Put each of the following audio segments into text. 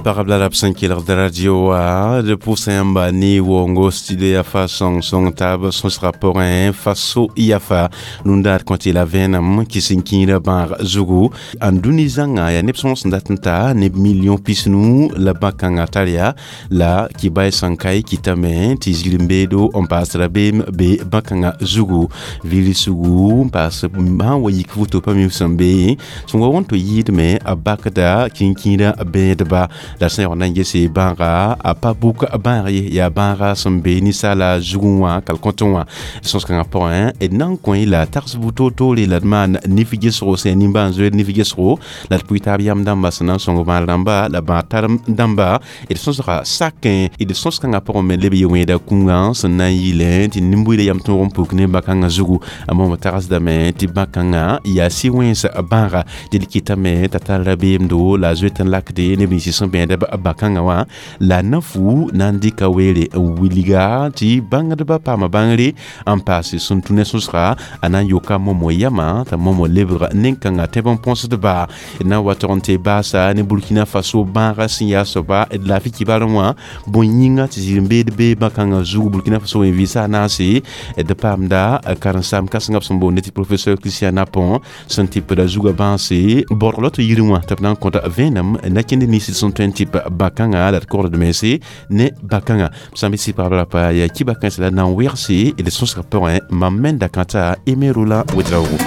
Pagb la rab sẽn kelgd radio wã d pʋʋsa yãmba ne waoongo studio yaa fa sõng taab sõsgã pʋgẽ faso yafa rũndar kõ tɩ la vẽenem kɩs n kĩirã bãag zugu n dũni zãnga yaa neb sõng sẽn dat n ta neb million 50 la bã-kãngã tar yaa la kibay sẽn ka y kɩtame tɩ zir-n-beedo n paas rabeem be bã-kãngã zugu virsugu n paas sãn wa yik voto pa mi sẽn be sẽn wa wõn tɩ yɩɩdme a bakda kĩn-kĩirã bẽedba la sẽn yaool na n gese bãaga a pa bʋk bãag ye yaa bãaga sẽn be ninsaala zugẽ wã kalkõtẽ wã sõs-kãngã pʋgẽ d na n kõ-y la tags bu-toor-toore la d maan nif gesgo sẽn yaa nimbãan-zoeer nif gesgo la d pʋɩ taab yam dãmba sẽn na n sõng bãad rãmba la bãad tarem dãmba d sõsga sakẽ d sõs-kãngã pʋgẽ me leb ye-wẽeda kũngã sẽn na n yɩlẽ tɩ nin-buiidã yam tõog n puk ne bã-kãngã zugu a moom tagsdame tɩ bã-kãngã yaa sɩ-wẽns bãaga dɩl kɩtame t'a tar rabeemdo la a zoet n lakde neb nins sẽn bẽeda bã-kãngã wã la na-fu na n dɩka weere n wilga tɩ bãngdbã paama bãngre n paase sẽn tũ ne sõsga a na n yoka momo yamã t'a momo lebg nen-kãngã tẽb n põsdba d na n wa tog n tɩ baasa ne Burkina Faso bãaga sẽn yaa soaba d laafɩ kibarẽ wã bõe-yĩnga tɩ zir-n-beed bee bã-kãngã zugu Burkina Faso wẽ vɩɩsa a naase d paamda karen-saam kãsengã b sẽn boonde tɩ professeur Christian Napon sẽn tɩpda zugã bãase bõdg la tɩ yirẽ wã tɩ b na n kõta vẽenem na-kẽnd nins sẽn tõe n tɩp bã-kãngã la d kogd mense ne bã-kãngã b sã n be sɩ pagb rapa yaa kiba-kãens la na n wegse d sõsg pʋgẽ mam me n da kãta Aimé Roland Ouédraogo.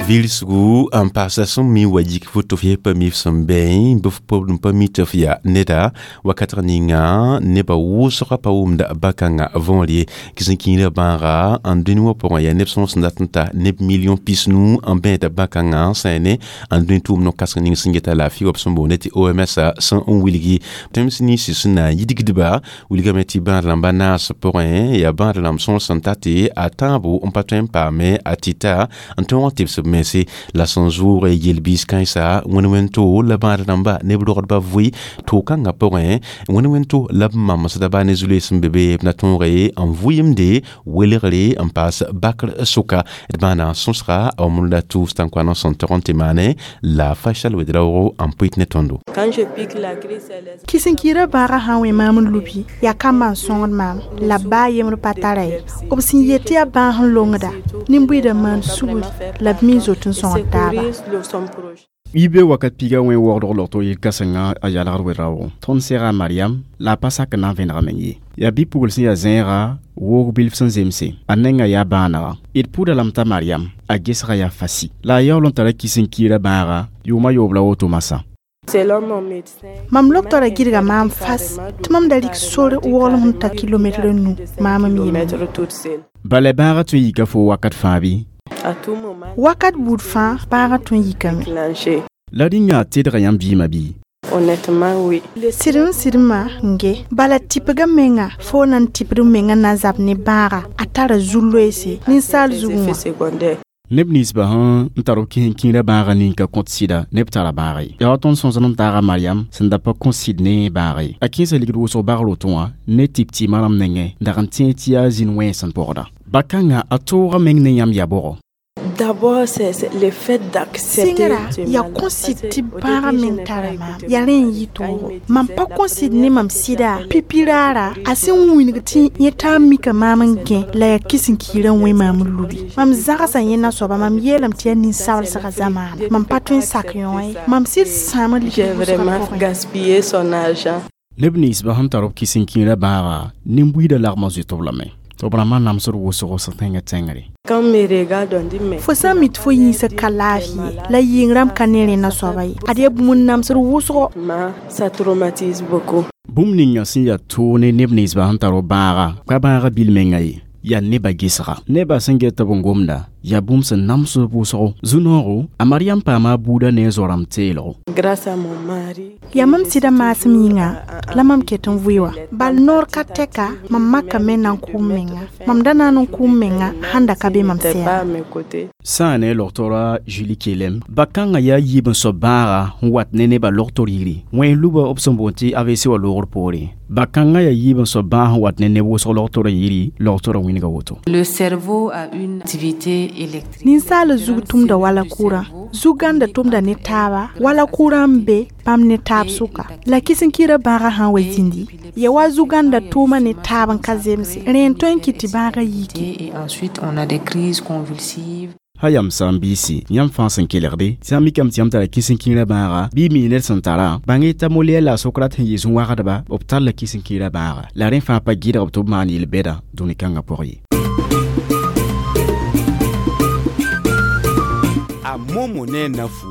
Vilsgu n paasa sẽn mi wa yik foto f pa mi f sẽn bẽ bɩ f n pa mi tɩ f yaa neda wakat ninga nebã wʋsgã pa wʋmda bã-kãngã võor ye kɩs n kĩirã bãaga n dũni wã pʋgẽ yaa neb sõng sẽn dat n ta neb million 50 n bẽeda bã-kãngã sẽn ne n dũni tʋʋm no-kãseng ning sẽn geta laafɩ wa b sẽn boonde tɩ OMS sẽn n wilgi tẽms ninsi sẽn na n yidgdba wilgame tɩ bãad rãmba naas pʋgẽ yaa bãad rãmb sõng sẽn ta tɩ a tãabo n pa tõe n paame a tɩta n tõog n tɩbs b mense la sẽn zʋʋg yel-biis kãensa wẽn-wẽn-to la bãad rãmba neb rogdba vʋɩ to-kãngã pʋgẽ wẽn-wẽn-to la b mamsda baa ne zu-loees sẽn be be b na tõoge n vʋɩɩmde welgre n paas bakr sʋka d maana sõsga a wãmrda tʋʋs tãn-koan sẽn tog n tɩ maane la Faisal Ouédraogo n pʋɩt ne tõndo. Kɩs-n-kɩɩrã bãagã sã n wẽ maam n lubi yaa kambã n sõngd maam la b baa yembr pa tara ye b sẽn yet tɩ yaa bãag n longda nin-buiidã maan sugri la b mi zoet n sõngd taaba. Ibe wakat piga wẽ waoogdg logto yel-kãsenga a yalgd weraoogo tõnd sega Mariam la a pa sak n na n vẽnega meng ye yaa bi-pugl sẽn yaa zẽega woog bilf sẽn zemse a nengã yaa bãanega d pʋʋda lame t'a Mariam a gesga yaa fasi la a yaool n tara kis-n-kiirã bãaga yʋʋma yoob la woto masã. Mam loktora gɩdga maam fas tɩ mam da rɩk sor waoolem sẽn ta kilometr nu maam m yembre. Bala bãagã tõe n yika fo wakat fãa bɩ? Wakat buud fãa bãagã tõe n yikame. La rĩngã tedga yãmb biimã bɩ? Sɩd n sɩdmã n ge bala tɩpga menga fo na n tɩpd menga na n zab ne bãaga a tara zu-loeese ninsaal zugẽ wã. Neb ninsbã sẽn n tar b kis-n-kĩirã bãagã ning ka kõt sɩda neb tara bãag ye yaa wa tõnd sõsd n taaga Mariam sẽn da pa kõ sɩd ne bãag ye a kẽesa ligd wʋsg bagr woto wã ne tɩp tɩɩmã rãmb nengẽ dag n tẽeg tɩ yaa zĩn wẽns n pɔgda bã-kãngã a tooga meng ne yãmb yaa bʋgɔ. D'abord, c'est le fait d'accepter Sɩngra yaa kõ sɩd tɩ bãagã meng tara maam yaa rẽ n yɩ toogo mam pa kõ sɩd ne mam sɩda pipiraara a sẽn wilg tɩ yẽ taa n mika maam n gẽ la yaa kis-n-kiirã wẽ maam n lubi mam zagsã yẽnda soaba mam yeelame tɩ yaa nin-sablsgã zamaana mam pa tõe n sak yõ ye mam sɩd sãam n J'ai vraiment gaspillé son argent. Neb ninsbã sẽn tar b kis-n-kĩirã bãaga nin-buiidã lagmã zoet b lame tɩ b rãmbã namsd wʋsgo sẽn tẽngã tẽngre. Quand me regarde, on dit mais Fo sã n mi tɩ fo yĩnsã ka laafɩ ye la yɩng rãmb ka ne rẽnna soaba ye ad yaa bũmb n namsd wʋsgo. Ça traumatise beaucoup. Bũmb ninga sẽn yaa toog ne neb ninsbã sẽn tar b bãaga pa bãaga bil menga ye yaa nebã gesga nebã sẽn get tɩ b n gomda yaa bũmb sẽn namsd wʋsgo zu-noogo a Mariam paama a buudã ne a zo-rãmb teelgo. Grâce à mon mari. Yaa mam sɩda maasem yĩnga la mam ket n vʋɩ wã bal noor ka tɛka mam makame na n kʋʋm menga mam da na n kʋʋm menga sãn da ka be mam N'était sɛɛga. pas à mes côtés. Sã n ne logtora Julie Kelem bã-kãngã yaa yiib n soab bãaga n wat ne nebã logtor yiri wẽn luba b sẽn boond tɩ AVC wã loogr poore bã-kãngã yaa yiib n soab bãag n wat ne neb wʋsg logtora yiri logtora wĩnga woto. Le cerveau a une activité Ninsaal zug tʋmda wala kʋrã zu-gãnda tʋmda ne taaba wala kʋrã n be bãmb ne taab sʋka la kɩs-n-kɩɩrã bãagã sã n wa zĩndi ya wa zu-gãnda tʋʋma ne taab n ka zemse rẽ n tõe n kɩt tɩ bãagã yiki. Et ensuite, on a des crises convulsives. Ha yam sã n biisi yãmb fãa sẽn kelgde tɩ sã n mikame tɩ yãmb tara kɩs-n-kĩirã bãaga bɩ y mi ned sẽn tara bãng t'a moliɛr la a Socrate sẽn yɩ zũ-wagdba b tar la kɩs-n-kĩirã bãaga la rẽ fãa pa gɩdg b tɩ b maan yel-bɛda dũni kãngã pʋg ye. A momo ne nafu.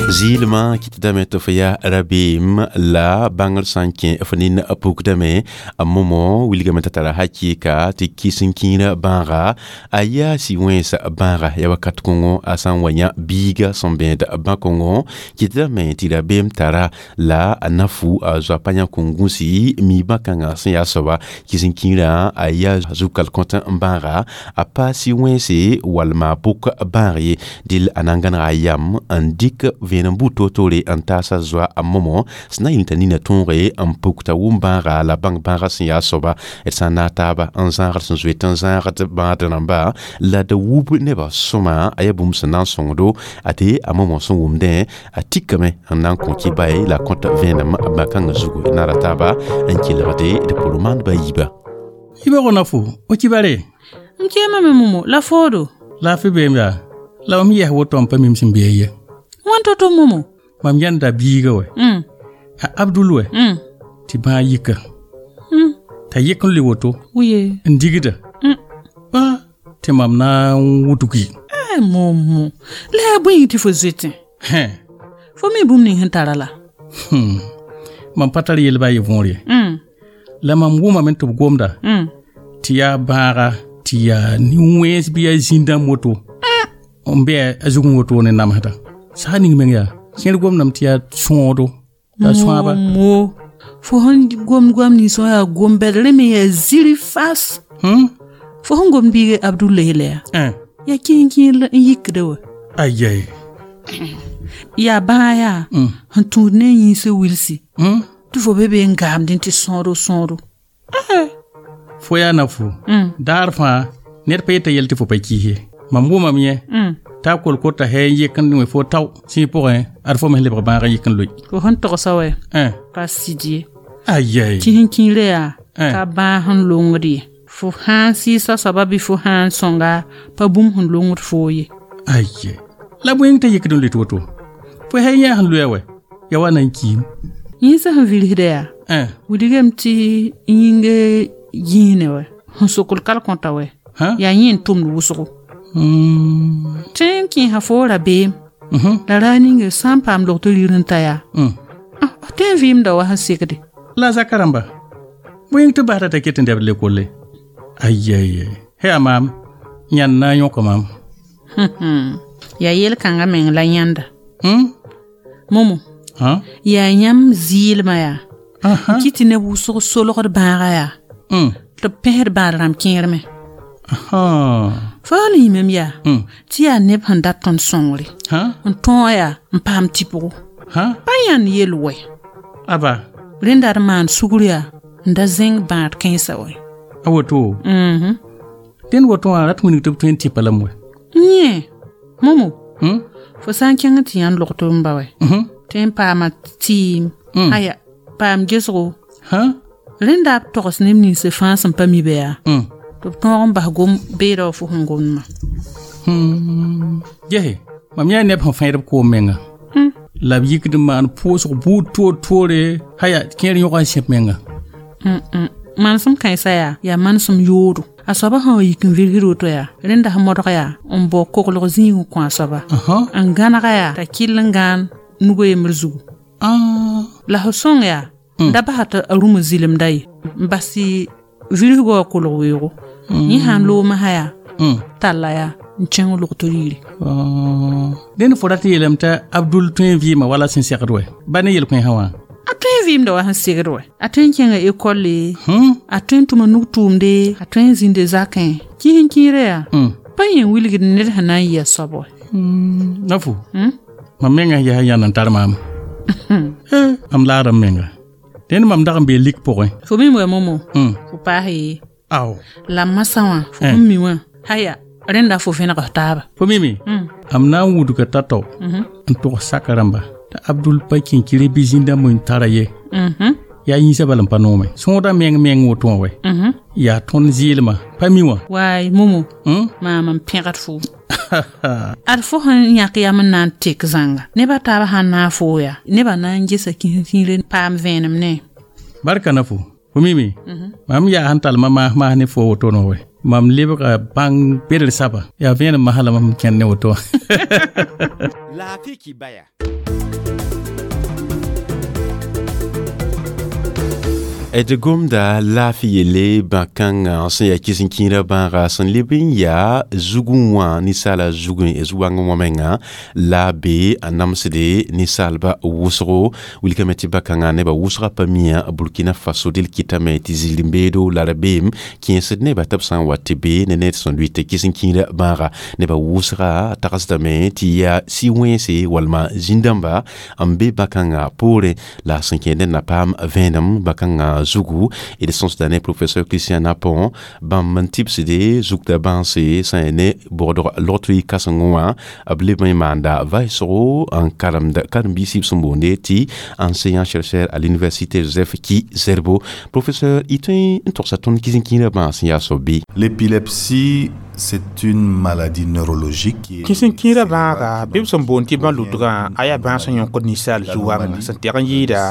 Zɩɩlmã kɩtdame tɩ fo yaa rabeem la bãngr sã n kẽ f nin pukdame a momo wilgame t'a tara hakɩɩka tɩ kɩs-n-kĩirã bãaga a yaa sɩ-wẽns bãaga ya wakat kõngo a sã n wa yã biiga sẽn bẽed bã-kõngo kɩtdame tɩ rabeem tara la a nafu a zoa pa yã kõn-gũsi mi bã-kãngã sẽn yaa soaba kɩs-n-kĩirã a yaa zu-kal-kõt n bãaga a pa sɩ-wẽnse walma pʋk bãag ye dɩl a na n gãnega a yam n dɩk vẽenem buud toor-toore n taasa zoa a momo sẽn na yĩng t'a nina tõoge n puk t'a wʋm bãaga la bãng bãagã sẽn yaa soaba d sã n naag taaba n zãagd sẽn zoet n zãagd bãad rãmba la d wub nebã sõma a yaa bũmb sẽn na n sõngdo a tɩ a momo sẽn wʋmdẽ a tikame n na n kõ kɩ-bae la kõt vẽenem bã-kãngã zugu naara taaba n kelgde d pʋr maandbã yiiba. Yiibgo na fo o kibare. M keemame momo la foodo. La f beem yaa la mam yɛs woto n pa mim sẽn bee ye. Wãn to momo. Mam yãnda biiga wɛ. A Abdul wɛ. Tɩ bãag yika. T'a yik n le woto. Wiye. N digda. A tɩ mam na n wudgi. Ai momo. La yaa bõe yĩng tɩ fo zoetẽ? Hẽ. Fo mi bũmb ning sẽn tara la. Mam pa tar yel baa ye võor ye. La mam wʋmame tɩ b gomda. Tɩ yaa bãaga tɩ yaa nin-wẽns bɩ yaa zĩn-dãmb woto. N be a zugẽ woto ne namsda. Sã ning meng yaa kẽer gomdame tɩ yaa sõodo la sõaba. Momo fo sẽn gomd goam nins wã yaa gom-bɛd rẽ me yaa ziri fas. Fo sẽn gomd biig Abdulahi la yaa. Yaa kẽen-kẽer n yikda wã. Ayai. Yaa bãag yaa sẽn tũud ne yĩnsã wilsi. Tɩ fo be be n gaamdẽ tɩ sõodo sõodo. Fo yaa na fo. Daar fãa ned pa yeta yɛl tɩ fo pa kiis ye. Mam wʋmame yẽ. T'a kolkota hɛ n yek n wẽ fo tao sẽn pʋgẽ ad fo me lebg bãag n yik n loe. Fo sẽn togsa wɛ. Pa sɩd ye. Ayai. Kɩs-n-kĩirã yaa ka bãag sẽn longd ye. Fo sã n sɩɩsa soaba bɩ fo sã n sõnga pa bũmb sẽn longd foo ye. Ayai. La bõe t'a yikd n loe tɩ woto? Fo hɛ yã sẽn loa wɛ ya wa na n kiim. Yĩnsã sẽn vilsda yaa. Wilgame tɩ yĩng yĩisne wɛ sẽn sokl kal-kõta wɛ. Yaa yẽ n tʋmd wʋsgo. Tɩ n kẽesa fo rabeem. La raar ninga sã n paam log tɩ rir n ta yaa. Tõe n vɩɩmda wa sẽn segde. La zaka rãmba bõe yĩng tɩ basda t'a ket n dɛbd lekolle. Ayai. Hɛ a maam yãnd na n yõka maam. Yaa yel-kãngã meng la yãnda. Momo. Yaa yãmb zɩɩlmã yaa. N kɩt tɩ neb wʋsg solgd bãaga yaa. Tɩ b pẽsd bãad rãmb kẽer me. Fo n yĩmem yaa tɩ yaa neb sẽn dat tõnd sõngre. N tõog yaa n paam tɩpgo. Pa yãnd yel wɛ. Aba. Rẽnda d maan sugr yaa n da zẽng bãad kãensã wɛ. A woto. Dẽnd woto wã rat wilg tɩ b tõe n tɩpa lame wɛ. Yẽ. Momo. Fo sã n kẽng tɩ yãnd log tɩ n ba wɛ. Tõe n paama tɩɩm. Aya paam gesgo. Rẽnda b togs neb ninsã fãa sẽn pa mi bɩ yaa. Tɩ b tõog n bas gom beeda wã fo sẽn gomdmã. Gese mam yaa neb sẽn fẽed b koom menga. La b yikd n maan pʋʋsg buud toor-toore haya kẽer yõg n sẽp menga. Manesem kãensã yaa manesem yoodo. A soaba sã wa yik n virgd woto yaa rẽnda sẽn modg yaa n bao koglg zĩig n kõ a soaba. N gãnega yaa t'a kɩll n gãan nuga yembr zugu. La fo sõng yaa da basa tɩ a rũmã zɩlemda ye n bas tɩ virgã wã kolg weoogo. Yẽ sã n loog masã yaa talla yaa n kẽng log tɩ riire. Dẽnd fo rat n yeelame t'a Abdul tõe n vɩɩma wala sẽn segd wɛ ba ne yel-kõensã wã. A tõe n vɩɩmda wa sẽn segd wɛ. A tõe n kẽnga ekolle. A tõe n tʋma nug-tʋʋmde. A tõe n zĩnde zakẽ. Kĩs-n-kĩirã yaa pa yẽ wilgd ned sẽn na n yɩ a soab wɛ. Na fo. Mam mengã yaa yãnd n tar maam. Mam laada m menga. Dẽnd mam dag n bee lik pʋgẽ. Fo mim wɛ momo. Fo paas ye. Ao. La masã wã fo sẽn mi wã haya Rẽnda fo vẽneg f taaba. Fo mime am na n wudga tao-tao n tʋgs saka rãmba t'a Abdul pa kẽnkire bɩ zĩndãmb n tara ye. Yaa yĩnsã bala n pa noome sõoda meng meng woto wã wɛ yaa tõnd zɩɩlmã pa mi wã. Waay momo maam n pẽgd fo ad fo sẽn yãk yam n na n tek zãnga nebã taaba sãn na n foo yaa nebã na n gesa kĩsẽ-kĩire paam vẽenem ne. Barka na fo fo mime mam yaa sẽn tall ma maas ne fo woto wã wɛ mam lebga bãng bedr saba yaa vẽenem masã la mam kẽnd ne woto wã. Laafɩ kibaya. D gomda laafɩ yelle bã-kãngã sẽn yaa kɩs-n-kĩirã bãaga sẽn leb n yaa zugẽ wã ninsaala zugẽ zu-wãngẽ wã menga la be a namsde ninsaalba wʋsgo wilkame tɩ bã-kãngã nebã wʋsga pa mia Burkina Faso del kɩtame tɩ zĩr-n-beedo la rabeem kẽesd nebã tɩ b sã n wa tɩ be ne ned sẽn lʋɩt kɩs-n-kĩirã bãaga nebã wʋsga tagsdame tɩ yaa sɩ-wẽnse walma zĩn-dãmba n be bã-kãngã poorẽ la sẽn kẽed ned na paam vẽenem bã-kãngã zugu et de sens d'année professeur Christian Napon bãmb n tɩbsde zugda bãnse sẽn yaa ne bogdg logtri kãsengẽ wã b leb n maanda vaɩsgo n karemd karen-biis b sẽn boonde tɩ enseignant chercheur à l'université Joseph Ki-Zerbo. Professeur, y tõe n togsa tõnd kɩs-n-kĩirã bãas n yaa soab bɩ? L'épilepsie, c'est une maladie neurologique qui est Kĩsẽ-kĩirã bãaga bɩ b sẽn boond tɩ bã-lʋtgã a yaa bãas sẽn yõkd ninsaal zu-wãngã sẽn tɛg n yɩɩda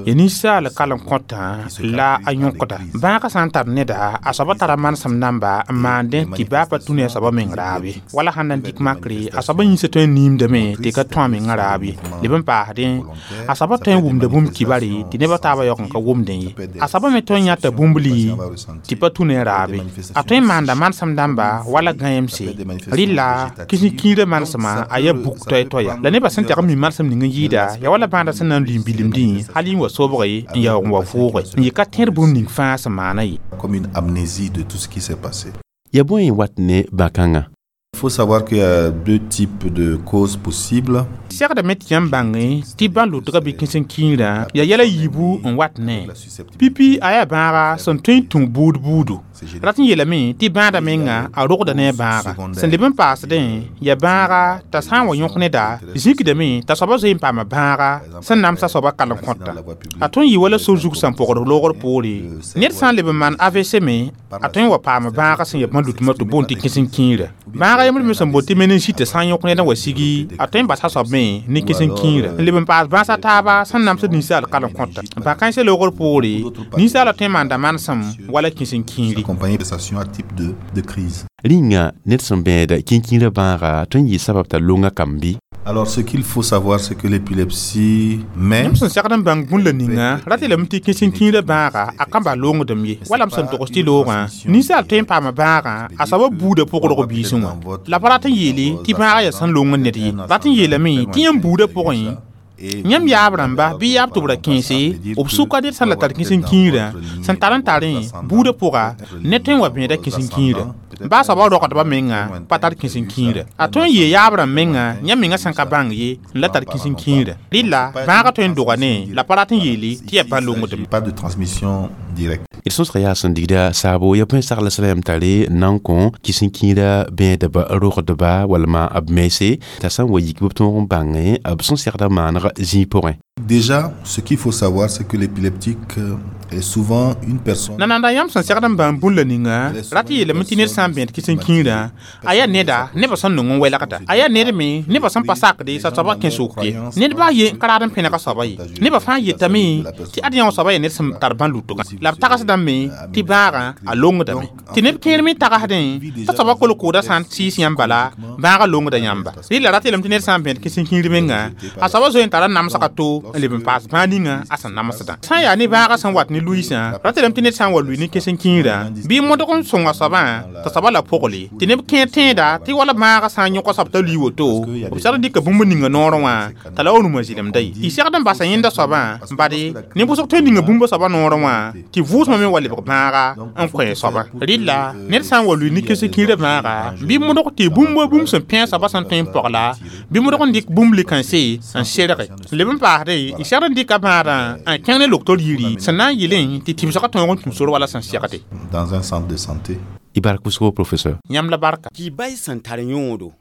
ya ninsaal kalem kõtã la a yõkda bãagã sã n tar neda a soaba tara manesem namba n maandẽ tɩ baa pa tũ ne a soaba meng raab ye wala sãn na n dɩk makre a soaba yĩnsã tõe n niimdame tɩ ka tũ a mengã raab ye leb n paasdẽ a soaba tõe n wʋmda bũmb kibare tɩ nebã taabã yaoog n ka wʋmdẽ ye a soaba me tõe n yãta bũmbli tɩ pa tũ ne raab ye a tõe n maanda manesem dãmba wala gãeemse rɩla kĩsẽ-kĩirã manesmã a yaa buk toɛ-toɛya la nebã sẽn tɛg n mi manesem ning n yɩɩda yaa wala bãadã sẽn na n lʋɩ n bilemdẽ hal n wa sobge n yaoog n wa vʋʋge n yɩ ka tẽed bũmb ning fãa sẽn maana ye. Comme une amnésie de tout ce qui s'est passé. Ya bõe n wat ne bã-kãngã? Il faut savoir qu'il y a deux types de causes possibles. Segdame tɩ yãmb bãnge tɩ bã-lʋtgã bɩ kĩsẽ-kĩirã yaa yɛla yiibu n wat ne pipi a yaa bãaga sẽn tõe n tũ buud buudu rat n yeelame tɩ bãada menga a rogda ne a bãaga sẽn leb n paasdẽ yaa bãaga t'a sã n wa yõk neda zĩkdame t'a soaba zoe n paama bãaga sẽn namsa soaba kalem kõta a tõe n yɩ wala sor zug sẽn pogd loogr poore ned sã n leb n maan AVC me a tõe n wa paama bãaga sẽn ya bã-lʋtmã tɩ boond tɩ kĩsẽ-kĩirã bãaga yembr me sẽn boond tɩ meningite sã n yõk ned n wa sigi a tõe n basa soab me ne kĩsẽ-kĩirã n leb n paas bãasa taaba sẽn namsd ninsaal kalem kõta bã-kãensã loogr poore ninsaala tõe n maanda manesem wala kĩsẽ-kĩiri. Accompagné à type de crise. Rĩnga ned sẽn bẽeda kĩn-kĩirã bãaga tõe n yɩ sabab t'a longa kamb bɩ? Alors, ce qu'il faut savoir, c'est que l'épilepsie, mais Yãmb sẽn segd n bãng bũn la ninga rat yeelame tɩ kĩsẽ-kĩirã bãaga a kamba longdem ye wala m sẽn togs tɩ loogã ninsaal tõe n paama bãagã a soaba buudã pʋgdg biisẽ wã la pa rat n yeele tɩ bãagã yaa sẽn long ned ye rat n yeelame tɩ yãmb buudã pʋgẽ yãmb yaab rãmba bɩ yaab tɩ b ra kẽese b sʋka ned sẽn la tar kĩsẽ-kĩirã sẽn tar n tarẽ buudã pʋga ned tõe n wa bẽeda kĩsẽ-kĩirã baa soaba rogdbã menga pa tar kĩsẽ-kĩirã a tõe n yee yaab rãmb menga yãmb menga sẽn ka bãng ye n la tar kĩsẽ-kĩirã rɩla bãagã tõe n doga ne la pa rat n yeele tɩ yaa bã-longdem. Pas de transmission directe. D sõsga yaa sẽn digda saabo ya bõe sagla sã yam tare n na n kõ kĩsẽ-kĩirã bẽedba rogdba walma b mense t'a sã n wa yik bɩ b tõog n bãngẽ b sẽn segda maaneg zĩig pʋgẽ. Déjà, ce qu'il faut savoir, c'est que l'épileptique est souvent une personne. Nananda yãmb sẽn segd n bãmb bũn la ninga rat n yeelame tɩ ned sã n bẽed kĩsẽ-kĩirã a yaa neda nebã sẽn nong n wɛlgda a yaa ned me nebã sẽn pa sakde t'a soaba kẽ sok ye ned baa ye n ka raad n pẽnega soaba ye nebã fãa yetame tɩ ad yã wã soaba yaa ned sẽn tar bã-lʋtgã la b tagsdame tɩ bãagã a longdame tɩ neb kẽer me tagsdẽ t'a soaba kolkooda sã n sɩɩs yãmb bala bãagã longda yãmba rɩla rat yeelame tɩ ned sã n bẽed kĩsẽ-kĩir menga a soaba zoe n tara namsga to n leb n paas bãag ninga a sẽn namsdã sã n yaa ne bãagã sẽn wat ne luiisã rat yeelame tɩ ned sã n wa lʋɩ ne kĩsẽ-kĩirã bɩ modg n sõnga soabã t'a soaba la pʋgle tɩ neb kẽer tẽeda tɩ wala bãagã sã n yõk soab t'a lʋɩ woto b segd n dɩka bũmb ninga noorẽ wã t'a la wa rũmã zɩlemda ye y segd n basa yẽnda soabã bade ne wʋsg tõe n ninga bũmba soabã noorẽ wã tɩ vʋʋsmã me wa lebg bãaga n kõ soabã rɩla ned sã n wa lʋɩ ne kĩsẽ-kĩirã bãaga bɩ modg tɩ bũmb bũmb sẽn pẽ soabã sẽn tõe n pɔgla bɩ modg n dɩk bũmb likãnse n serge leb n paasde y segd n dɩka bãadã n kẽng ne loktor yiri sẽn na n yɩlẽ tɩ tɩbsgã tõog n tũ sor wala sẽn segde. Dans un centre de santé. Y bark wʋsgo professeur. Yãmb la barka. Kibay sẽn tar yõodo.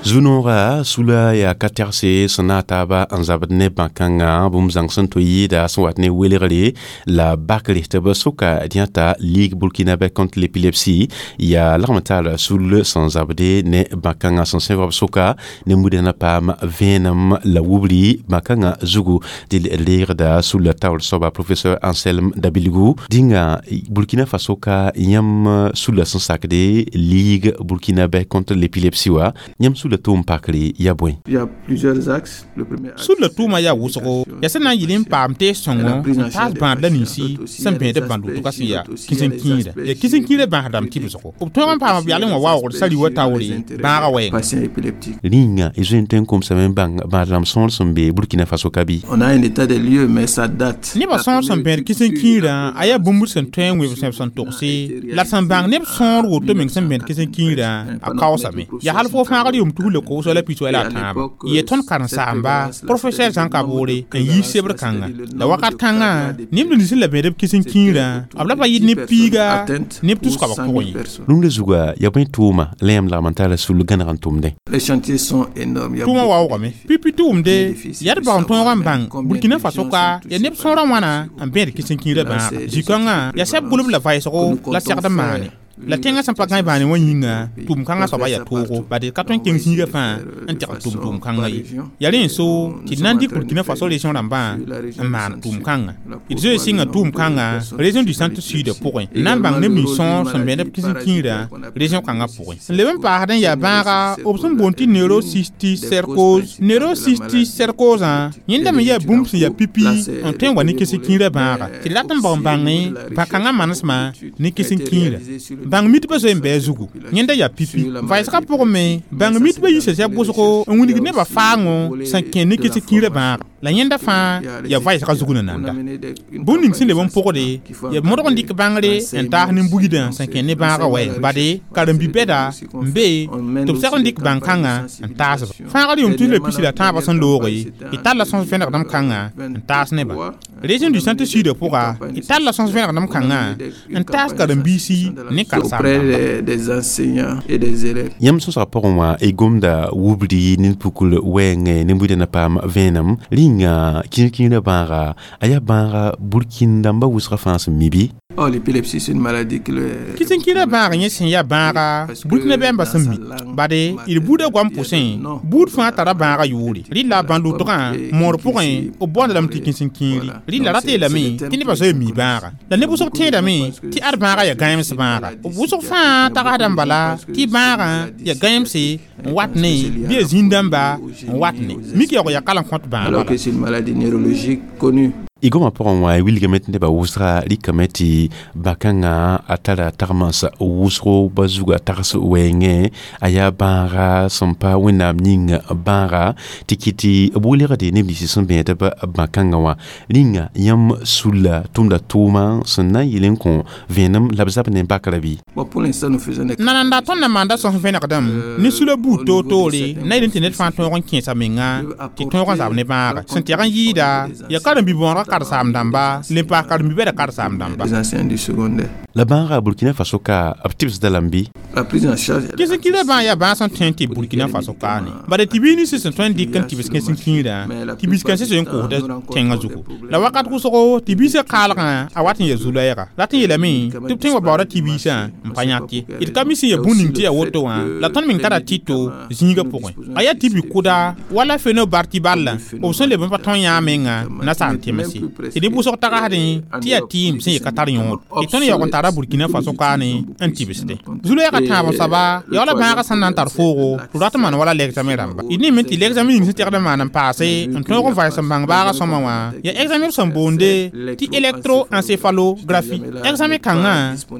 Zu-noogã sula yaa ka tɛgse sẽn na n taaba n zabd ne bãn-kãngã bũmb zãng sẽn tʋ yɩɩda sẽn wat ne welgre la bakre tɩ b soka dẽta Ligue burkinabé contre l'épilepsie yaa lagm taal sul sẽn zabde ne bãn-kãngã sẽn sẽbg b soka ne mudã na paam vẽenem la wubri bãn-kãngã zugu dɩ d reegda sulla taoor soaba professeur Anselme Dabilgou dĩnga Burkina Faso ka yãmb sulla sẽn sakde Ligue burkinabé contre l'épilepsie wa yãmb sulla tʋʋm pakre ya bõe? Il y a plusieurs axes. Le premier axe, Sulla tʋʋmã yaa wʋsgo yaa sẽn na n yɩl n paam tees sõngo n taas bãad la ninsi sẽn bẽed bãn-lʋtgã sẽn yaa kĩsẽ-kĩirã yaa kĩsẽ-kĩirã bãas rãmb tɩbsgo b tõog n paam b yalẽ wã waoogd sari wa taoore bãagã wɛɛnga. Patient épileptique. Rĩnga y zoe n tõe n komsame n bãng bãad rãmb sõor sẽn be Burkina Faso ka bɩ? On a un état des lieux, mais ça date. Nebã sõor sẽn bẽed kĩsẽ-kĩirã a yaa bũmb sẽn tõe n wẽb sẽb sẽn togse la d sẽn bãng neb sõor woto meng sẽn bẽed kĩsẽ-kĩirã a kaoosame yaa hal fo fãagr yʋm tus la kobsg la piswɛ la a tãabã yee tõnd karen-saamba professeur Jean Kabore n yiis sebr kãnga la wakat kãngã neb nins sẽn la bẽed b kĩsẽ-kĩirã b la pa yɩ neb piiga neb tus-koabg pʋgẽ ye. Rũndã zuga yaa bõe tʋʋma la yãmb lagm n tara sul gãneg n tʋmdẽ? Les chantiers sont énormes. Il y a Tʋʋmã beaucoup waoogame pipi tʋʋmde yaa d bag n tõog n bãng Burkina Faso ka yaa neb sõorã wãna n bẽed kĩsẽ-kĩirã bãaga zĩ-kãngã yaa sɛb gʋlb la vaɩsgo la segd n maane la tẽngã sẽn pa gãe bãane wã yĩnga tʋʋm kãngã soaba yaa toogo bad d ka tõe n kẽng zĩigã fãa n tɛgd tʋʋm-tʋʋm kãngã ye yaa rẽ n so tɩ d na n dɩk Burkina Faso région rãmbã n maan tʋʋm kãngã d zoe sɩnga tʋʋm kãngã région du centre sud pʋgẽ n na n bãng neb nins sõor sẽn bẽed b kĩsẽ-kĩirã région kãngã pʋgẽ n leb n paasd n yaa bãaga b sẽn boond tɩ neurocysticercose yẽnda me yaa bũmb sẽn yaa pipi n tõe n wa ne kĩsẽ-kĩirã bãaga tɩ d rat n bag n bãngẽ bã-kãngã manesmã ne kĩsẽ-kĩirã bãng mitbã zoe n bɩ a zugu yẽnda yaa pipi vaɩsgã pʋgẽ me bãng mitbã yiisa sɛb wʋsgo n wilg nebã faango sẽn kẽ ne kĩsẽ-kĩirã bãaga la yẽnda fãa yaa vaɩsgã zug na nanda bũmb ning sẽn leb n pʋgde yaa modg n dɩk bãngre n taas nin-buidã sẽn kẽ ne bãagã wɛɛng bade karen-bi-bɛda n be tɩ b segd n dɩk bãn-kãngã n taas-ba fãagr yʋm tus la pisi la tãabã sẽn looge d talla sõs vẽnegdem kãngã n taas nebã région du centre sud pʋga d talla sõs vẽnegdem kãngã n taas karen-biisi ne auprès des enseignants et des élèves. Yãmb sõsgã pʋgẽ wã y gomda wubri nin-pukl wɛɛngẽ nin-buidã na paam vẽenem rĩnga kĩr-kĩirã bãaga a yaa bãaga burkin dãmbã wʋsgã fãa sẽn mi bɩ? Oh, l'épilepsie, c'est une maladie que le... Kĩsẽ-kĩirã bãag yẽ sẽn yaa bãaga burkina bɛɛmbã sẽn mi bade d buudã goam pʋsẽ buud fãa tara bãagã yʋʋre rɩla la bãn-lʋtgã moor pʋgẽ b boonda lame tɩ kĩsẽ-kĩiri rɩla rat yeelame tɩ nebã zoe n mi bãaga la neb wʋsg tẽedame tɩ ad bãagã yaa gãeems bãaga b wʋsg fãa tagsdã n bala tɩ bãagã yaa gãeemse n wat ne bɩ yaa zĩn-dãmba n wat ne mik yaoog yaa kalem kõt bãag Alors que c'est une maladie neurologique connue. Y goma pʋgẽ wã y wilgame tɩ nebã wʋsga rɩkame tɩ bã-kãngã a tara tagmans wʋsgo ba zuga tags wɛɛngẽ a yaa bãaga sẽn pa wẽnnaam yĩng bãaga tɩ kɩt tɩ b welgde neb nins sẽn bẽed b bã-kãngã wã rĩnga yãmb sulla tʋmda tʋʋma sẽn na n yɩl n kõ vẽenem la b zab ne bakrã bɩ? Bon, pour l'instant, nous faisons des... Nananda tõnd na maanda sõs vẽnegdem ne sula buud toor-toore na yel n tɩ ned fãa tõog n kẽesa menga tɩ tõog n zab ne bãaga sẽn tɛg n yɩɩda yaa karen-bi-bõorgã karen-saam-dãmba le n paas karen-bi-bɛda karen-saam-dãmba. Les enseignants du secondaire. La bãaga Burkina Faso ka b tɩbsda lame bɩ? La prise en charge. Kĩsẽ-kĩirã bãag yaa bãag sẽn tõe n tɩ Burkina Faso kaane bade tɩ biig nins sẽn tõe n dɩk n tɩbs kẽsẽ-kĩirã tɩ bis-kãensã zoe n kosda tẽngã zugu la wakat wʋsgo tɩ biisã kaalgã a wat n yaa zu-loɛɛga rat n yeelame tɩ b tõe n wa baooda tɩ biisã n pa yãk ye d ka mi sẽn yaa bũmb ning tɩ yaa woto wã la tõnd meng tara tɩto zĩigã pʋgẽ a yaa tɩ bi-kʋda wala fenobartiballã b sẽn leb n pa tõe yã menga na saan tẽmse tɩ neb wʋsg tagsdẽ tɩ yaa tɩɩm sẽn ye ka tar yõod tɩ tõnd yaoog n tara Burkina Faso kaane n tɩbsdẽ zu-loɛɛgã tãab soaba yaa wala bãagã sẽn na n tar foogo tɩ rat n maan wala l'examen rãmba d neme tɩ l'examen ning sẽn tɛgd n maan n paase n tõog n vaɩs n bãng baaga sõma wã yaa examen b sẽn boonde tɩ électroencéphalographie examen kãngã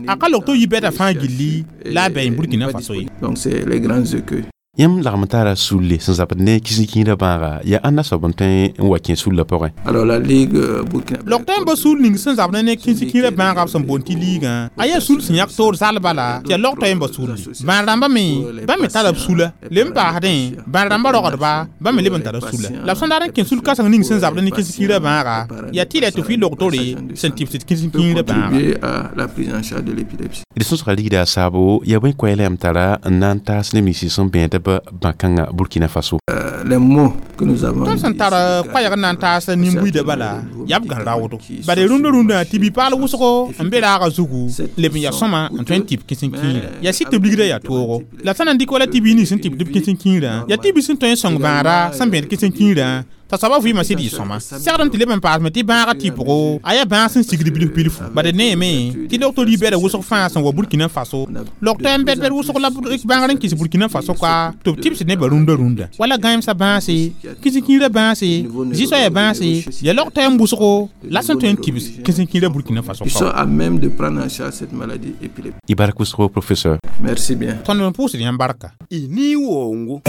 a ka log tɩ b yi bɛda fãa gilli la a bɛɛ Burkina Faso ye. Donc c'est les grands écueils. Yãmb lagm tara sulle sẽn zabd ne kĩsẽ-kĩirã bãaga yaa ãnna soab n tõe n wa kẽ sullã pʋgẽ. Alors la Ligue burkinabé Log-tõe n ba sul ning sẽn zabd ne kĩsẽ-kĩirã bãagã b sẽn boond tɩ liigã, a yaa sul sẽn yãk toor zalba la tɩ yaa log-toɛ n ba sulli. Bãad rãmbã me, bãmb me tara b sula. Leb n paasdẽ, bãad rãmbã rogdba, bãmb me leb n tara sula. La b sẽn dat n kẽ sul kãseng ning sẽn zabd ne kĩsẽ-kĩirã bãaga, yaa tɩ la tɩ f log-tore sẽn tɩbsd kĩsẽ-kĩirã bãaga. Contribuer à la prise en charge de l'épilepsie. D sõsga ligda a saabo yaa bõe koɛɛla yãmb tara n na n taas neb nins sẽn bẽed b bã-kãngã Burkina Faso. Les mots que nous avons Tõnd sẽn tar koɛɛg n na n taas nin-buiidã bala, yaa b gãn raoodo. Bala rũndã rũndã tɩ bi-paal wʋsgo n be raagã zugu leb n yaa sõma n tõe n tɩb kĩsẽ-kĩirã. Yaa sɩd tɩ b ligdã yaa toogo. La sã na n dɩk wala tɩ bi nins sẽn tɩbd b kĩsẽ-kĩirã, yaa tɩ bi sẽn tõe n sõng bãada sẽn bẽed kĩsẽ-kĩirã t'a soabã vɩɩmã sɩd yɩ sõma. Segd n tɩ leb n paasme tɩ bãagã tɩpgo a yaa bãag sẽn sigd bilf bilfu. Bad neeme tɩ log-tor yi-bɛda wʋsg fãa sẽn wa Burkina Faso. Log-toɛ n bɛd-bɛd wʋsg la bãngr n kɩs Burkina Faso ka tɩ b tɩbsd nebã rũndã rũndã. Wala gãemsã bãase, kĩsẽ-kĩirã bãase, zĩ-soaya bãase, yaa log-toɛ n wʋsgo la sẽn tõe n tɩbs kĩsẽ-kĩirã Burkina Faso. Qui sont à même de prendre en charge cette maladie épileptique. Y bark wʋsgo, professeur. Merci bien. Tõnd n pʋʋsd yãmb barka. Y ni wongo.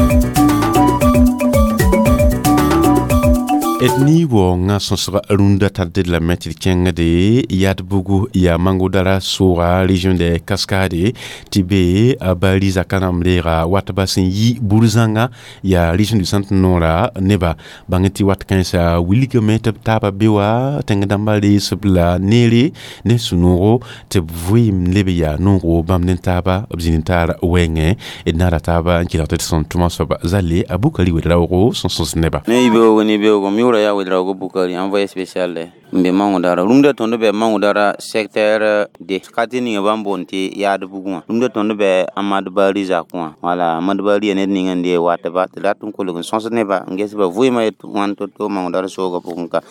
D ni waoongã sõsg rũndã tar d lame tɩ d kẽngde yad bugu yaa Mangodara sʋʋga, région de Cascade, tɩ be a Bari zakã rãmb reega watba sẽn yi bur-zãnga, yaa région du Centre noora neba bãng tɩ wat kãensã wilgame tɩ b taaba be wa tẽng dãmbã reesb la neere ne sũ-noogo tɩ b vɩɩm leb yaa noogo bãmb ne taaba b zĩnd taar wɛɛngẽ. D naara taaba n kelg tɩ d sẽn tʋma soaba zalle a Bukari wed-raoogo sẽn sõs neba. Ne yibeoogo, ne beoogo m yʋʋra yaa Ouedraogo Bukari, envoyé spécial n be Mangodara. Rũndã tõnd bɛ Mangodara secteur D, quartier ninga bãmb boond tɩ yaad bugẽ wã. Rũndã tõnd bɛ Amad Bari zakẽ wã. Wala Amad Bari yaa ned ning n dee watba tɩ rat n kolg n sõs nebã n ges ba vɩɩmã yet wãn to-to Mangodara soogã pʋgẽ ka.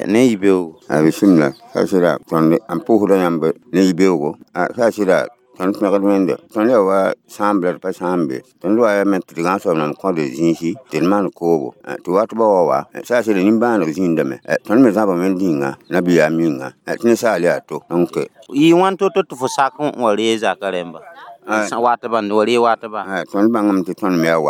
Ne yibeoogo. A bisimila sa sɩda tõnd n pʋʋsda yãmb ne yibeoogo. Sa sɩda tõnd pẽgd wẽnde tõnd yaa wa sãam la d pa sãam be tõnd wa yaa me tɩ d gãag soab nam kõd zĩisi tɩ d maan koobo tɩ wat ba wa wa sa sɩda nimbãaneg zĩndame tõnd me zãba wẽnd yĩnga nabiyaam yĩnga tɩ ninsaal yaa to donc yɩ wãn to-to tɩ fo sak n wa ree zakã rẽmba watba wa ree watba. Tõnd bãngame tɩ tõnd me yaa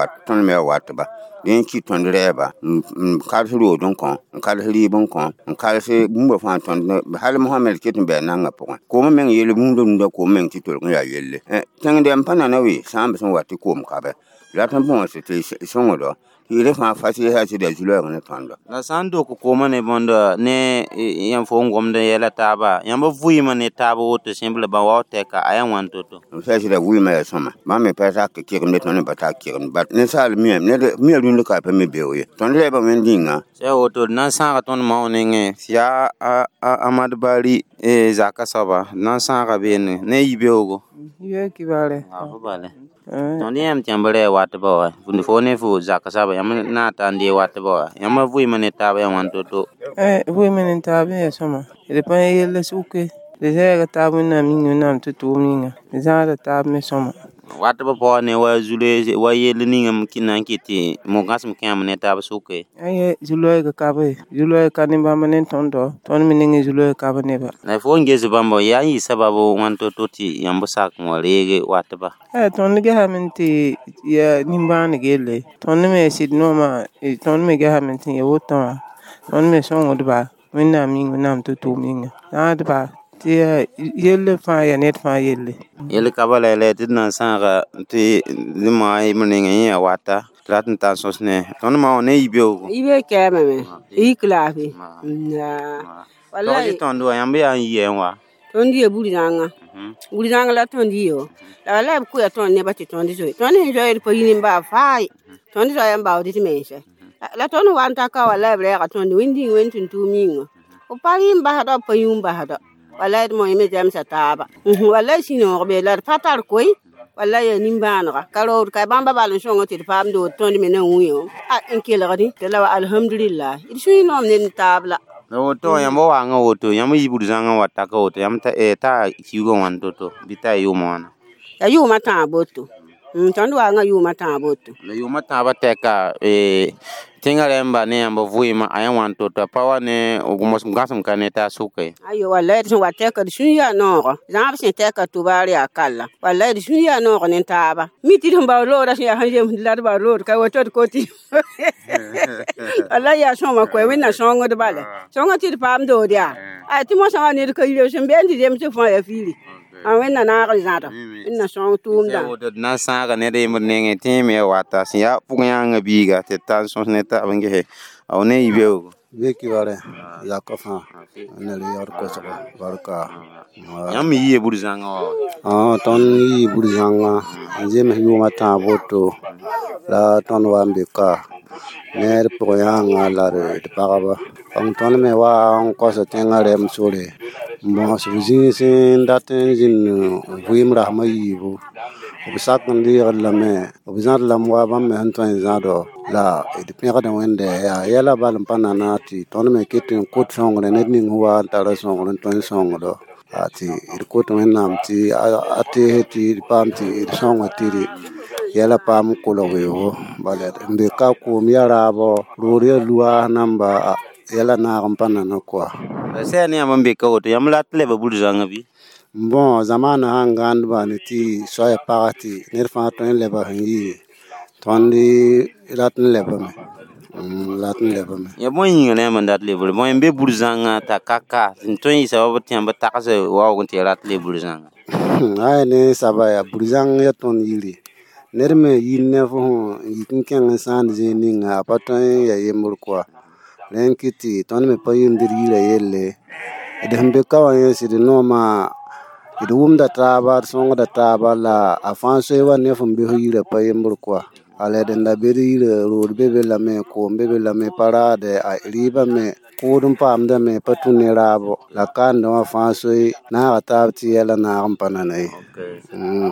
watba dẽ n kɩ tõnd rɛɛba n kads rood n kõ, n kads rɩɩb n kõ, n kads bũmba fãa tõnd hal Mohamed ket n bɩ a nangã pʋgẽ. Koomã meng yell rũndã rũndã koom meng tɩ tolg n yaa yelle. Tẽng dɛm pa nana we sãamb sẽn wa tɩ koom kabe rat n bõos tɩ sõngdo tɩ rẽ fãa fa sɩ sɩda zu-loɛɛg ne tõndo. La sã n dok koomã ne bõnd ne yãmb fo n gomd n yɛla taaba, yãmb vɩɩmã ne taab woto sẽmble bã wao tɛka a yaa wãn to-to. Sa sɩda vɩɩmã yaa sõma, bãmb me pa sak kɩgemde, tõnd me pa sak kɩgemd bat ninsaal miame ned mia rũnd ka pa me beoog ye. Tõnd rɛɛbã wẽnd yĩnga. Sã woto d na n sãaga tõnd mao nengẽ tɩ yaa Amad Bari zakã soaba d na n sãaga beene ne yibeoogo. Yibeoog kibare. Fo bale. Tõnd yãmb tɩ yãmb rɛɛ watba wa fo ne fo zakã soaba yãmb na n ta n dee watba wa yãmb vɩɩmã ne taaba yaa wãn to-to. Vɩɩmã ne taab yaa sõma d pa yella sʋke d zɛɛga taab wẽnnaam yĩnga wẽnnaam tɩ tʋʋm yĩnga d zãada taab me sõma. Watba paoog ne wa zule wa yell ning n na n kɩt tɩ mo-gãsem kẽem ne taab sʋke. Aye, zu-loɛɛgã ka be zu-loɛɛg ka ne bãmb ne tõndo, tõnd me nengẽ zu-loɛɛg ka be neba. La fo n ges bãmba yaa n yɩ sababu wãn to-to tɩ yãmb sak n wa reege watba. Tõnd gesame tɩ yaa nimbãaneg yelle, tõnd me sɩd noomã tõnd me gesame tɩ ya wotã wã tõnd me sõngdba wẽnnaam yĩnga wẽnnaam tɩ tʋʋm yĩnga zãadba tɩ yaa yelle fãa yaa ned fãa yelle. Yell ka bala la tɩ d na n sãaga tɩ d maa y nengẽ yẽ yaa wata tɩ rat n tar sõs ne tõnd maa wã ne yibeoogo. Yibeoog kɛɛmame yik laafɩ. Tog tõnd wa yãmb yaa n yɩ n wa. Tõnd yɩ bur-zãnga, bur-zãnga la tõnd yɩ la wala b koya tõnd nebã tɩ tõnd zoe tõnd sẽn zoeed pa yi nin-baa faay tõnd zoaya n baood d mense la tõnd wa n ta ka wala b rɛɛga tõnd wẽnd yĩng wẽnd tũn-tʋʋm yĩnga f pa rɩɩm basdɔ b pa yũum basdɔ wala d moẽ me zɛmsa taaba wala sũ-noog be la d pa tar koe wala yaa nimbãanega ka rood ka bãmba bal n sõng tɩ d paam dood tõnd me na wĩ n kelgdẽ tɩ la wa alhamdulillah d sũy noom ned n taab la. La woto yãmb waangã woto yãmb yi bur-zãngã wa taka woto yãmb ta kiuugã wãn to-to bɩ t'a yʋʋmã wãna. Ya yʋʋmã tãag boto Tõnd waanga yʋʋmã tãab woto. La yʋʋmã tãabã tɛka tẽngã rẽmba ne yãmb vɩɩmã a yã wã n tota pa wa ne gãsem ka ne t'a sʋka ye. Ayo, wallahi d sẽn wa tɛka d sũur yaa noogo. Zãab sẽn tɛka tʋbaar yaa kalla. Wallahi d sũur yaa noog ne taaba. Mi tɩ d sẽn bao loora sẽn yaa sẽn zemsd la d bao loor ka woto d koti. Wallahi yaa sõma koɛ Wẽnna sõngd bala. Sõnga tɩ d paam dood yaa. Ay tɩ mosã wã ned ka yire sẽn be n tɩ zems fãa yaa fiiri. A Wẽnna naag d zãada. Wẽnna sõng tʋʋmdã. D na n sãaga ned yembr nengẽ tẽ me wata sẽn yaa pʋgẽ yãngã biiga tɩ d tar n sõs ne taab n gese a ne yɩ beoogo. Beki bare zaka fãa ne re yar kosgo barka. Yãmb me yɩɩ bur-zãngã wa? Tõnd yii bur-zãngã n zems yʋʋmã tãab woto la tõnd wa n be ka ne d pʋg yãngã la d pagba. Tõnd me wa n kosa tẽngã rɛm sore n bõs b zĩis n dat n zĩnd vɩɩm rasmã yiibu. B sak n deegd lame, b zãd lame wa bãmb me sẽn tõe n zãdo la d pẽgda Wẽnde yaa yɛla bal n pa nana tɩ tõnd me ket n kot sõngre ned ning sẽn wa n tara sõngr n tõe n sõngdo tɩ d kot Wẽnnaam tɩ a teese tɩ d paam tɩ d sõnga tɩ d yɛla paam n kolg weoogo. Bala n be ka koom ya raabo, rood ya luaas namba yɛla naag n pa nana koa. Sɛ ne yãmb n be ka woto yãmb rat leba bur-zãngã bɩ? Bon, zamaana sãn gãndba ne tɩ soaya pag tɩ ned fãa tõe n leba sẽn yɩ tõnd rat n lebame. Rat n lebame. Ya bõe yĩnga la yãmb n dat lebre bõe n be bur-zãngã t'a ka ka n tõe n yɩ sabab tɩ yãmb tags waoog n tɩ rat leb bur-zãngã? Ay ne saba yaa bur-zãng ya tõnd yiri. Ned me yir ne fo n yik n kẽng n sãand zĩig ninga a pa tõe n ya yembr koa. Rẽ n kɩt tɩ tõnd me pa yĩmd d yirã yelle. D sẽn be ka wã yẽ sɩd noomã d wʋmda taaba, d sõngda taaba la a fãa soe wa ne fõn be fo yirã pa yembr koa. Ala d n da be d yirã rood be be lame, koom be be lame, pa raade, a rɩɩbã me kʋʋd n paamdame, pa tũ ne raabo. La kaandã wã fãa soe naaga taab tɩ yɛla naag n pa nana ye.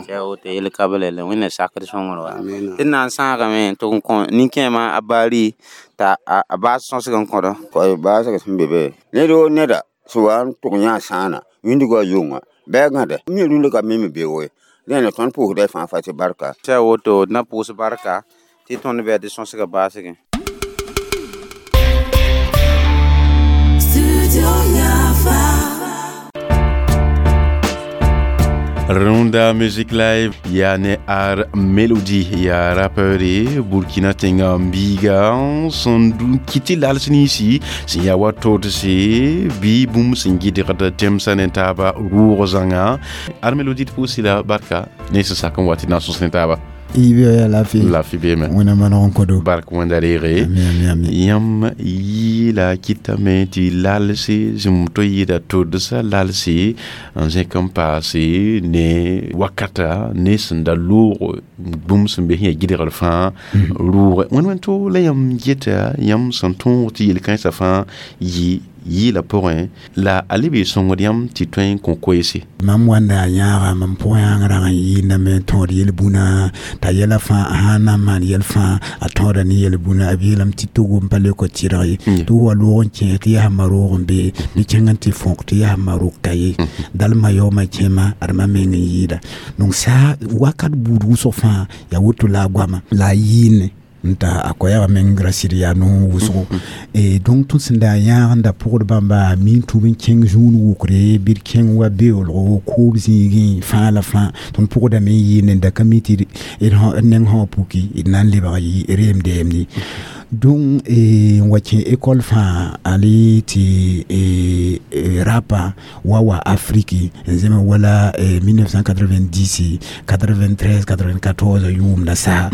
Sɛ woto yel ka bala la Wẽnna sakd sõngr wa. Tɩ d na n sãagame tɩ n kõ nin-kẽemã a baari t'a a baas sõsg n kõdɔ. Koy baasg sẽn be be ned woo neda sẽn wa n tʋg yã sãana wĩndgã yʋnga bɩ gãde mi rũndã ka me beoogo ye. Rẽnd tõnd pʋʋsda fãa fa tɩ barka. Sɛ woto d na pʋʋs barka tɩ tõnd bɩ tɩ sõsgã baasgẽ. Runda Music Live ya ne ar Melody ya rappeur Burkina tenga mbiga sẽn kɩ tɩ lals ninsi sẽn yaa wa todse bɩ bũmb sẽn gɩdgd tẽmsã ne taaba rʋʋg zãnga. Ar Melody d pʋʋsi la barka ne sẽn sak n wa tɩ na n sõs ne taaba. Ibe ya lafi. Lafi beme. Wẽnna maneg n kodo. Bark wẽnda reege. Yãmb yɩɩla kɩtame tɩ lalse zĩm to yɩɩda todsa lalse n zẽk n paase ne wakata ne sẽn da loog bũmb sẽn be sẽn yaa gɩdgr fãa rʋʋge. Wẽnd wẽnd to la yãmb geta yãmb sẽn tõog tɩ yel-kãensã fãa yɩ yɩɩla pʋgẽ la a le bee sõngd yãmb tɩ tõe n kõ koeese. Mam wanda a yãaga mam pʋgẽ yãng rag n yɩɩndame tõod yel-bũna t'a yɛla fãa a sã n na n maan yɛl fãa a tõoda ne yel-bũna. A yeelame tɩ togo n pa le kõ tɩrg ye tɩ wa loog n kẽ tɩ yaa maroog n be bɩ kẽng n tɩ fõk tɩ yaa maroog ka ye dalma yaooma kẽema adma meng n yɩɩda. Donc sa wakat buud wʋsg fãa yaa woto la a goama la a yɩɩne n ta a koɛɛga meng ra sɩd yaa no wʋsgo. Et donc tõnd sẽn da yãag n da pʋgd bãmba a min tʋb n kẽng zũun wʋkre bɩ d kẽng wa beoolgo koob zĩigẽ fãa la fãa tõnd pʋgdame n yɩɩne n da ka mi tɩ d neng sã wã puki d na n lebg reem dɛɛm ye. Donc n wa kẽ école fãa ali tɩ rapa wa wa Afriki n zẽme wala 1990 93 94 yʋʋmda saha.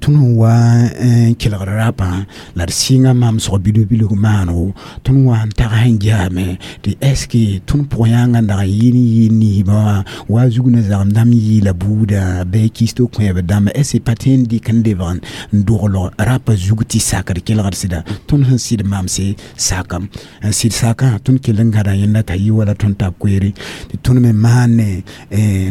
Tõnd sẽn wa n kelgd rapã la d sɩnga mam sog bilg-bilg maanego tõnd wa n tag n jaame tɩ est ce que tõnd pʋg yãnga n dag n yɩɩn yɩɩ niisbã wã wa zug ne zagem dãmb yɩɩla buudã bɩ kisto kõeb dãmba est ce que pa tõe n dɩk n lebg n dogl rapa zug tɩ sakd kelgd sɩda tõnd sẽn sɩd mamse sakam n sɩd sakã tõnd kell n gãda yẽnda t'a yɩ wala tõnd tab koeere tɩ tõnd me maane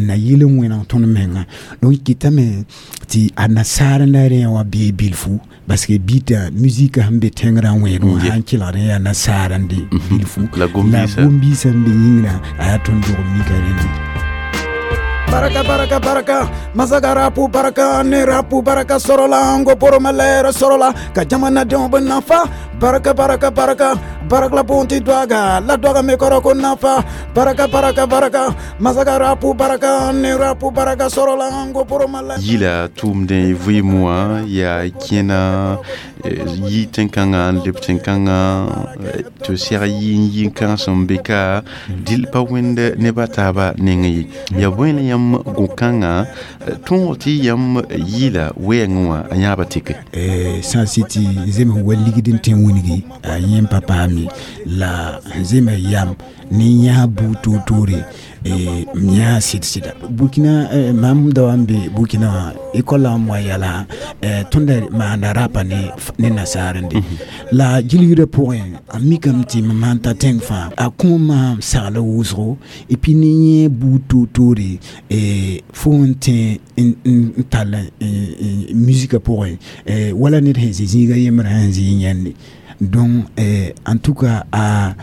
na yɩl n wẽneg tõnd menga. Donc kɩtame tɩ a nasaar n la rẽ wã bee bilfu parce que bita musique sẽn be tẽngrã wẽed wã sã n kelgd n yaa nasaar n de bilfu la gom-biisã n be yĩngrã a yaa tõnd dog mika rẽndi. Baraka baraka baraka masaga rapu baraka ne rapu baraka sɔrɔla n ko boroma lɛɛrɛ sɔrɔla ka jamanadenw bɛ nafa baraka baraka baraka barakla bonti dwaga la dwaga me kɔrɔ ko nafa baraka baraka baraka masaga rapu baraka ne rapu baraka sɔrɔla n ko boroma lɛɛrɛ yila tʋʋmdẽ vɩɩm wã yaa kẽna yi tẽn-kãngã n leb tẽn-kãngã tɩ sɛg yi n yi n kãens n be ka dɩl pa wẽnd neb a taaba neng ye ya bõe la yãmb gõ-kãngã tõog tɩ yãmb yɩɩla wɛɛngẽ wã a yãaba tɩke sã sɩ tɩ zems wa ligd n tẽ wĩngi a yẽ n pa paam ye la zema yam ne yãa buud toor-toore m yãa sɩd-sɩda burkina mam da wa n be burkina wã école n wa yala tõnd maanda rapa ne nasaarende la gilgrã pʋgẽ a mikame tɩ mam sãn ta tẽng fãa a kõ maam sagla wʋsgo et puis ne yẽ buud toor-toore fo n tẽ n tall musika pʋgẽ wala ned sẽn zĩ zĩiga yembrã sẽn zĩ yẽnde donc en tout cas a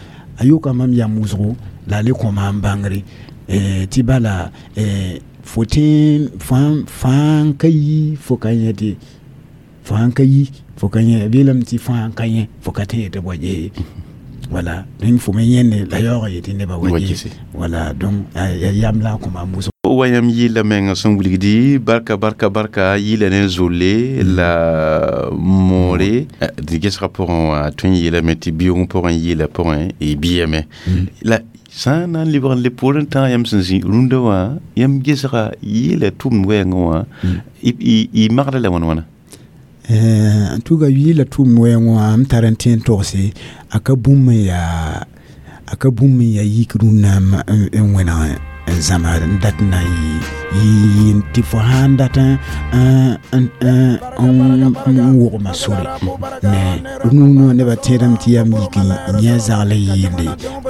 yoka mam yam wʋsgo la a le kõ maam bãngre tɩ bala fo tẽ fãa ka yi fo ka yẽ tɩ fãa ka yi fo ka yẽ b yeelame tɩ fãa ka yẽ fo ka tẽ yetɩ bwa gese voilà donc fo me yẽnde la yaoog yetɩ nebã wa gese voilà donc ya yam la a kõ maam wʋsgo wa yãmb yɩɩla menga sẽn wilgdi barka barka barka yɩɩla ne zolle la moore dɩ gesgã pʋgẽ wã tõe n yeelame tɩ biʋʋg pʋgẽ yɩɩla pʋgẽ y bɩame la sã n na n lebg n le poorẽ tãag yãmb sẽn zĩ rũndã wã yãmb gesga yɩɩla tʋʋmd wɛɛngẽ wã y magda la wãn wãna en tout cas yɩɩla tʋʋmd wɛɛngẽ wã m tar n tẽ n togse a ka bũmb n yaa a ka bũmb n yaa yik rũnnã n wẽneg n zãma n dat n na n yɩ tɩ fo sãn dat n wogma sore ne rũnã nebã tẽedame tɩ yam yik n yẽ zagl n yɩɩnde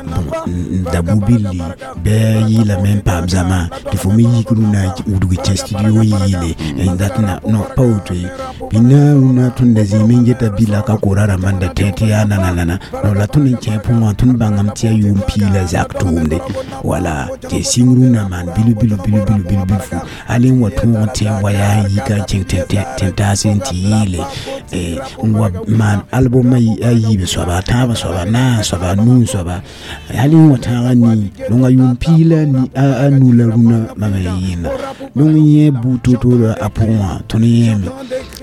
bon n da bu-billi bɩ yɩɩlame n paam zãma tɩ fo me yik rũnã wudg kẽ studio n yɩɩle n dat na non pa woto ye bĩna rũnã tõnd da zĩime n geta bila ka kora rãmbã n da tẽ tɩ yaa nana nana non la tõnd n kẽ pʋgẽ wã tõnd bãngame tɩ yaa yʋʋm pii la zak tʋʋmde wala tɩ sɩng rũnã maan bilu bilu bilu bilu bilu bilfu hal n wa tõog n tẽ n wa yaa n yika n kẽng tẽn-taas n tɩ yɩɩle n wa maan album a yiib soaba a tãabã soaba a naas soaba a nuu soaba hal n wa tãagã nii donc a yʋʋm pii la a nu la rũnã mam n yɩɩnda donc yẽ buud toor-toorã a pʋgẽ wã tõnd yẽeme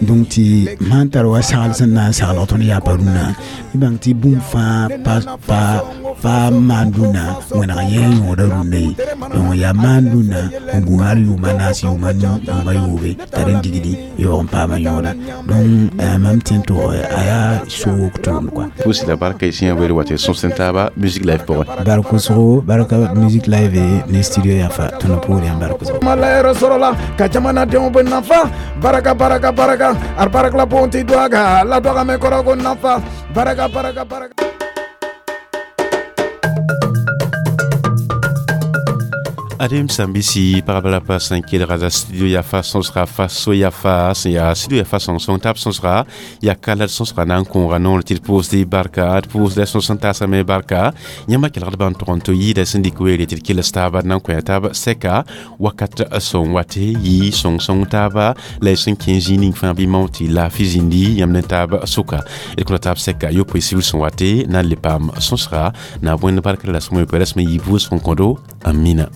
donc tɩ sãn tar wa sagl sẽn na n saglg tõnd yaa pa rũnã y bãng tɩ bũmb fãa pa maan rũnã wẽneg yẽ yõoda rũnã ye donc yaa maan rũnã n gũ hal yʋʋma naas yʋʋma nu yʋʋma yoobe t'a rẽn digdi yaoog n paama yõoda donc mam tẽ tɩ a yaa soog tʋʋmd kɔa pʋʋs la barka y sẽn weel wa tɩ sõs n taaba musique live pʋgẽ bark-wʋsgo barka musique live ne studio yafa tõnd poor yãmb bark-wʋsgo malayɛrɛ sɔrɔla ka jamanadenw bɛ nafa baraka baraka baraka ar barak la bonti dwaga la dwaga me kɔrɔ ko nafa baraka baraka baraka Adem sãn-bisi pagba la pa sẽn kelga la studio yafa sõsga faso yafa sẽn yaa studio yafa sõng-sõng tab sõsga yaa ka la d sõsga na n kõoga noor tɩ d pʋʋsd barka d pʋʋsda sõs n taasame barka yãmba kelgd bãmb tʋg n tɩ yɩɩda sẽn dɩk weere tɩ d kels taaba d na n kõ taab sɛka wakat sõng wate yɩ sõng-sõng taaba la y sẽn kẽ zĩig ning fãa bɩ mao tɩ laafɩ zĩndi yãmb ne taab sʋka d kõta taab sɛka yopoe sibr sẽn wate na n le paam sõsga na bõend barkr la sõma yopoe rasmã yɩ bʋʋsg n kõdo amina.